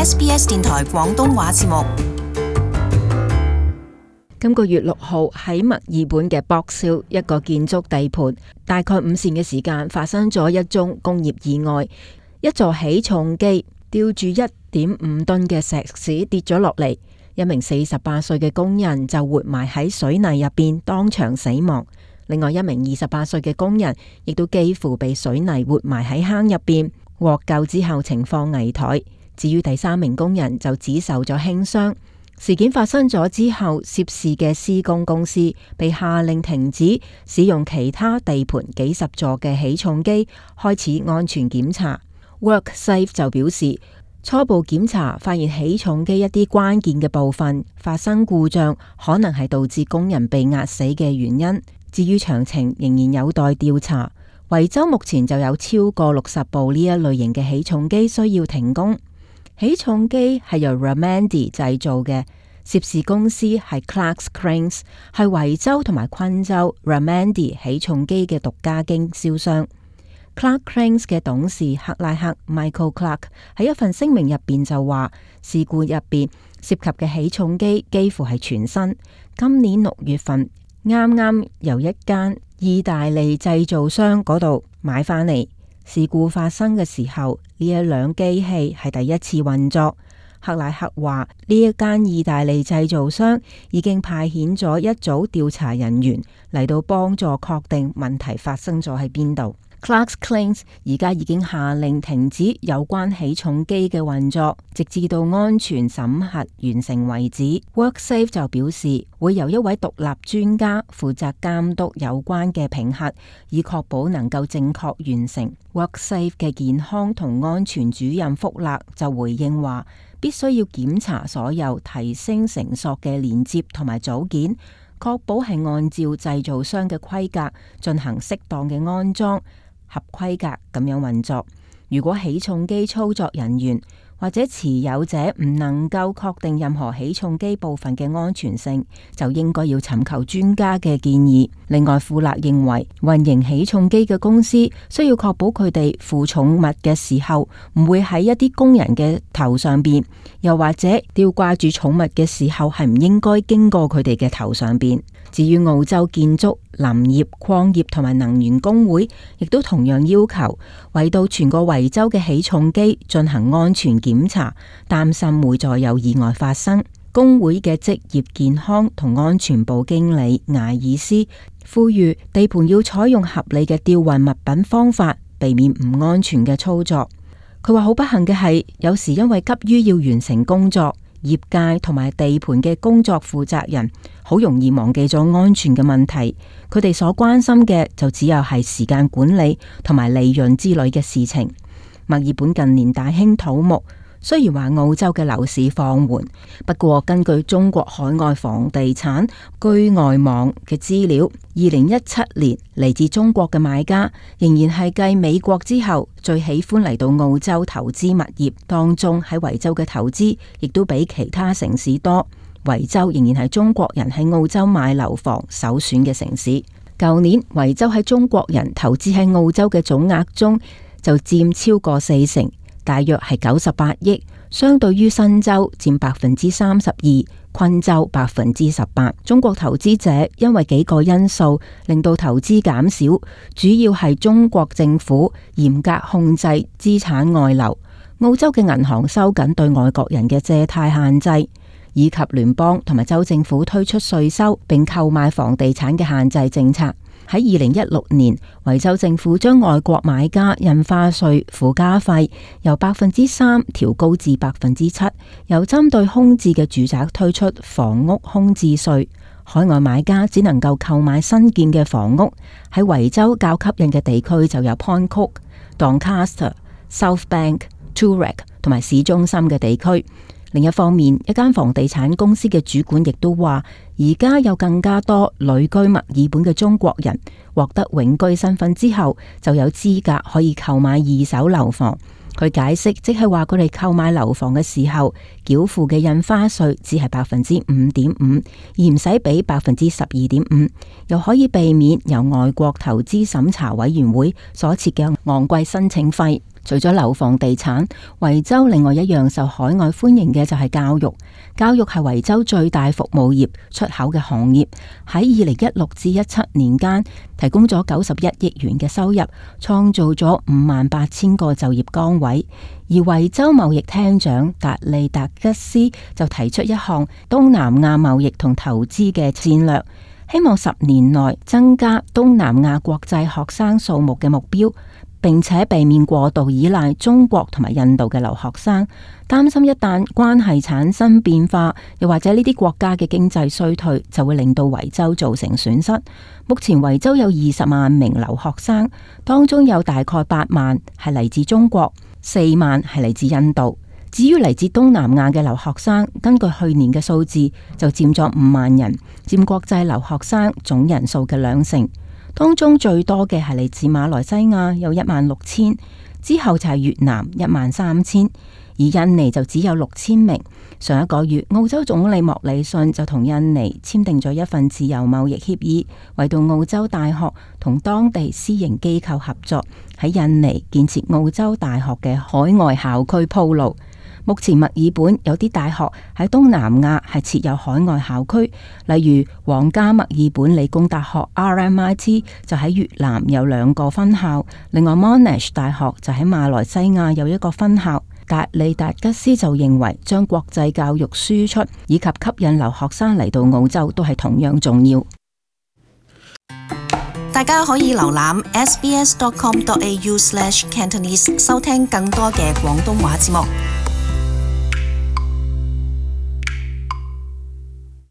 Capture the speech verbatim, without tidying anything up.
S B S 電台廣東話節目。今個月六號喺墨爾本嘅 Box Hill 一個建築地盤，大概午膳嘅時間發生咗一宗工業意外，一座起重機吊住一點五噸嘅石屎跌咗落嚟，一名四十八歲嘅工人就活埋喺水泥入邊當場死亡，另外一名二十八歲嘅工人亦都幾乎被水泥活埋喺坑入邊，獲救之後情況危殆。至於第三名工人就只受咗輕傷。事件發生咗之後，涉事嘅施工公司被下令停止使用其他地盤幾十座嘅起重機，開始安全檢查。WorkSafe 就表示，初步檢查發現起重機一啲關鍵嘅部分發生故障，可能係導致工人被壓死嘅原因。至於詳情仍然有待調查。維州目前就有超過六十部呢一類型嘅起重機需要停工。起重機係由 Ramandy 製造嘅，涉事公司係 Clarks Cranes， 係維州同埋昆州 Ramandy 起重機嘅獨家經銷商。Clarks Cranes 嘅董事克拉克 Michael Clark 喺一份聲明入邊就話，事故入邊涉及嘅起重機幾乎係全新，今年六月份啱啱由一間意大利製造商嗰度買返嚟。事故發生嘅時候，呢一輛機器係第一次運作。克拉克話，呢一間意大利製造商已經派遣咗一組調查人員嚟到幫助確定問題發生咗喺邊度。Clarks Cranes 而家已經下令停止有關起重機嘅運作，直至到安全審核完成為止。WorkSafe 就表示，會由一位獨立專家負責監督有關嘅評核，以確保能夠正確完成。WorkSafe 嘅健康同安全主任福勒就回應話，必須要檢查所有提升繩索嘅連接同埋組件，確保係按照製造商嘅規格進行適當嘅安裝，合規格咁樣運作。如果起重機操作人員或者持有者唔能夠確定任何起重機部分嘅安全性，就應該要尋求專家嘅建議。另外，富勒認為運營起重機嘅公司需要確保佢哋負重物嘅時候唔會喺一啲工人嘅頭上邊，又或者吊掛住重物嘅時候係唔應該經過佢哋嘅頭上邊。至於澳洲建築、林業、礦業同埋能源工會，亦都同樣要求為到全個維州嘅起重機進行安全檢查，擔心會再有意外發生。工會嘅職業健康同安全部經理艾爾斯呼籲地盤要採用合理嘅吊運物品方法，避免唔安全嘅操作。佢話好不幸嘅係，有時因為急於要完成工作，業界同埋地盤嘅工作負責人好容易忘記咗安全嘅問題，佢哋所關心嘅就只有係時間管理同埋利潤之類嘅事情。墨爾本近年大興土木，雖然話澳洲嘅樓市放緩，不過根據中國海外房地產居外網嘅資料，二零一七年嚟自中國嘅買家仍然係繼美國之後最喜歡嚟到澳洲投資物業，當中喺維州嘅投資亦都比其他城市多。維州仍然係中國人喺澳洲買樓房首選嘅城市。舊年維州喺中國人投資喺澳洲嘅總額中就佔超過四成，大約係九十八億，相對於新州佔百分之三十二，昆州百分之十八。中國投資者因為幾個因素令到投資減少，主要係中國政府嚴格控制資產外流，澳洲嘅銀行收緊對外國人嘅借貸限制，以及聯邦同埋州政府推出稅收並購買房地產嘅限制政策。喺二零一六年，維州政府將外國買家印花稅附加費由百分之三調高至百分之七，又針對空置嘅住宅推出房屋空置稅。海外買家只能夠購買新建嘅房屋。喺維州較吸引嘅地區就有 Point Cook、Doncaster、Southbank、Toorak 同埋市中心嘅地區。另一方面，一間房地產公司嘅主管亦都話，而家有更加多旅居墨爾本嘅中國人獲得永居身份之後，就有資格可以購買二手樓房。佢解釋，即係話佢哋購買樓房嘅時候，繳付嘅印花稅只係百分之五點五，而唔使俾百分之十二點五，又可以避免由外國投資審查委員會所設嘅昂貴申請費。除咗樓房地產，維州另外一樣受海外歡迎嘅就係教育。教育係維州最大服務業出口嘅行業，喺二零一六至一七年間提供咗九十一億元嘅收入，創造咗五萬八千個就業崗位。而維州貿易廳長達利達吉斯就提出一項東南亞貿易同投資嘅戰略，希望十年內增加東南亞國際學生數目嘅目標，並且避免過度依賴中國同埋印度嘅留學生。擔心一旦關係產生變化，又或者呢啲國家嘅經濟衰退，就會令到維州造成損失。目前維州有二十萬名留學生，當中有大概八萬係嚟自中國，四萬係嚟自印度。至於嚟自東南亞嘅留學生，根據去年嘅數字就佔咗五萬人，佔國際留學生總人數嘅兩成。當中最多嘅係嚟自馬來西亞，有一萬六千，之後就係越南一萬三千，而印尼就只有六千名。上一個月，澳洲總理莫里遜就同印尼簽訂咗一份自由貿易協議，為到澳洲大學同當地私營機構合作，喺印尼建設澳洲大學嘅海外校區鋪路。目前墨爾本有啲大學喺東南亞係設有海外校區，例如皇家墨爾本理工大學 R M I T 就喺越南有兩個分校，另外 Monash 大學就喺馬來西亞有一個分校。達利達吉斯就認為，將國際教育輸出以及吸引留學生嚟到澳洲都係同樣重要。大家可以瀏覽 s b s dot com dot a u slash cantonese 收聽更多嘅廣東話節目。